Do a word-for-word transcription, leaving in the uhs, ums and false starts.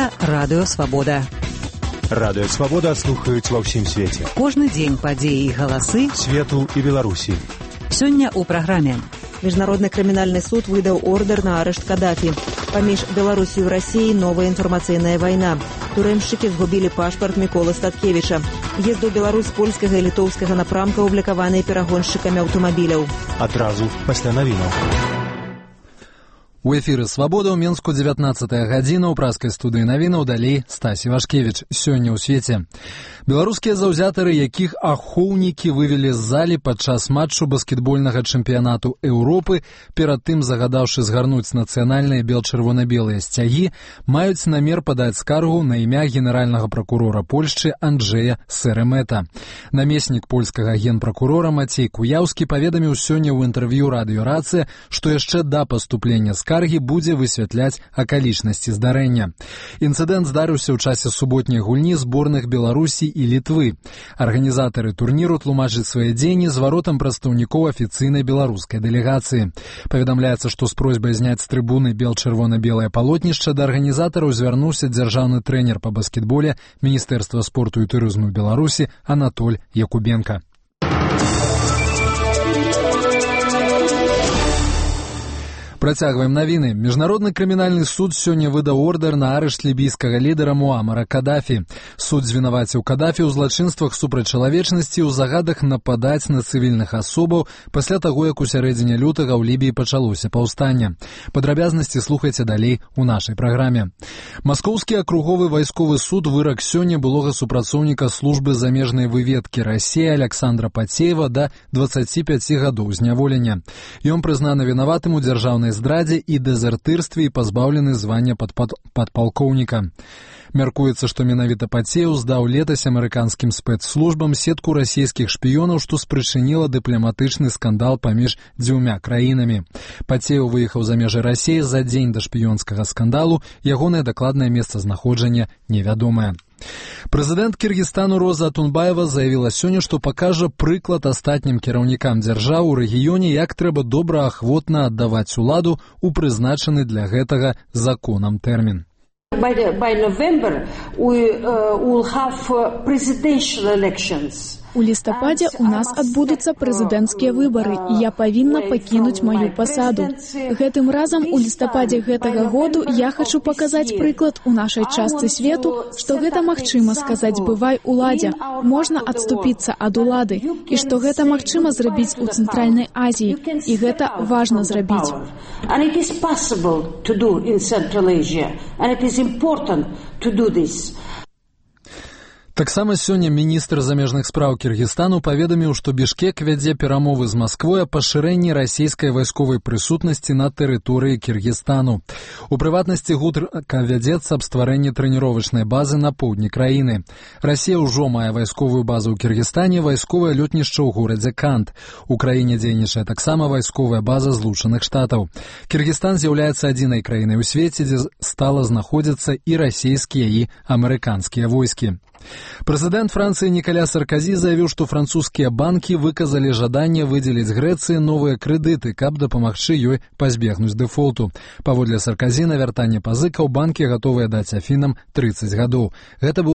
Гэта Радыё Свабода. Радыё Свабода слухаюць ва ўсім свеце. Кожны дзень падзеі і галасы свету і Беларусі. Сёння ў праграме. Міжнародны крымінальны суд выдаў ордер на арышт Каддафі. Паміж Беларусю і Расіяй новая інфармацыйная вайна. Турэмшчыкі згубілі пашпарт Міколы Статкевіча. Езд у Беларусь польскага і літоўскага напрамка аблікаваныя перагоншчыкамі аўтамабіляў. Адразу пасля навінаў. У эфіры «Свабода» ў Менску дзевятнаццатая гадзіна, ў праскай студыі навінаў, далей Стасі Вашкевіч. Сёння ў свеце. Беларускія заўзятары, якіх ахоўнікі вывелі з залі падчас матчу баскетбольнага чэмпіянату Еўропы, перад тым загадаўшы згарнуць нацыянальныя бел-чырвона-белыя сцягі, маюць намер падаць скаргу на імя генеральнага пракурора Польшчы Анджэя Сэремэта. Намеснік польскага генпракурора Мацей Куяўскі паведаміў сёння ў інтэрв'ю радыё «Рацыя», што яшчэ да паступлення скаргі Каргі будзе высвятляць акалічнасці здарэння. Інцыдэнт здарыўся ў часе суботняй гульні зборных Беларусі і Літвы. Арганізатары турніру тлумачаць свае дзеянні зваротам прадстаўнікоў афіцыйнай беларускай дэлегацыі. Паведамляецца, што з просьбай зняць з трыбуны бел-чырвона-белае палотнішча да арганізатараў звярнуўся дзяржаўны трэнер па баскетболе Міністэрства спорту і турызму Беларусі Анатоль Якубенка. Працягваем навіны. Міжнародны крымінальны суд сёння выдаў ордер на арышт лібійскага лідара Муамара Каддафі. Суд звінаваціў Каддафі ў злачынствах супраць чалавечнасці ў загадах нападаць на цывільных асобаў пасля таго, як у сярэдзіне лютага ў Лібіі пачалося паўстанне. Падрабязнасці слухайце далей у нашай праграме. Маскоўскі акруговы вайсковы суд вырак сёння былога супрацоўніка службы замежнай выведкі Расіі Александра Пацеева да дваццаці пяці гадоў зняволення. Ён прызнаны вінаватым у дзяржаўнай здрадзе і дэзертырстве і пазбаўлены звання падпалкоўніка. Мяркуецца, што менавіта Пацеев здаў летась амерыканскім спецслужбам сетку расійскіх шпіёнаў, што спрычыніла дыпламатычны скандал паміж дзвюмя краінамі. Пацеев выехаў за межы Расіі за дзень да шпіёнскага скандалу, ягонае дакладнае месцазнаходжанне невядомае. Прэзідэнт Кіргізстану Роза Атунбаева заявіла сёння, што пакажа прыклад астатнім кіраўнікам дзяржаў у рэгіёне, як трэба добраахвотна аддаваць уладу ў прызначаны для гэтага законам тэрмін. By, the, by November we uh, will have uh, presidential elections. У лістападзе у нас адбудуцца прэзідэнцкія выбары, і я павінна пакінуць маю пасаду. Гэтым разам у лістападзе гэтага году я хачу паказаць прыклад у нашай частцы свету, што гэта магчыма сказаць «бывай уладзе», можна адступіцца ад улады, і што гэта магчыма зрабіць у Цэнтральнай Азіі, і гэта важна зрабіць. And it is possible to do in Central Asia, and it is important to do this. Таксама сёння міністр замежных спраў Кіргізстану паведаміў, што Бішкек вядзе перамовы з Масквой о пашырэнні расійскай вайсковай прысутнасці на тэрыторыі Кіргізстану. У прыватнасці гутарка вядзецца аб стварэнні трэніровачнай базы на поўдні краіны. Расія ўжо мае вайсковую базу ў Кіргізстане, вайсковае лётнішча ў горадзе Кант. У краіне дзейнічае таксама вайсковая база Злучаных Штатаў. Кіргізстан з'яўляецца адзінай краінай у свеце, дзе стала знаходзіцца і расійскія, і амерыканскія войскі. Прэзідэнт Францыі Нікаля Сарказі заявіў, што французскія банкі выказалі жаданне выдзеліць Грэцыі новыя крэдыты, каб дапамагчы ёй пазбегнуць дэфолту. Паводле Сарказі на вяртанне пазыкаў банкі гатовыя даць Афінам трыццаць гадоў. Гэта быў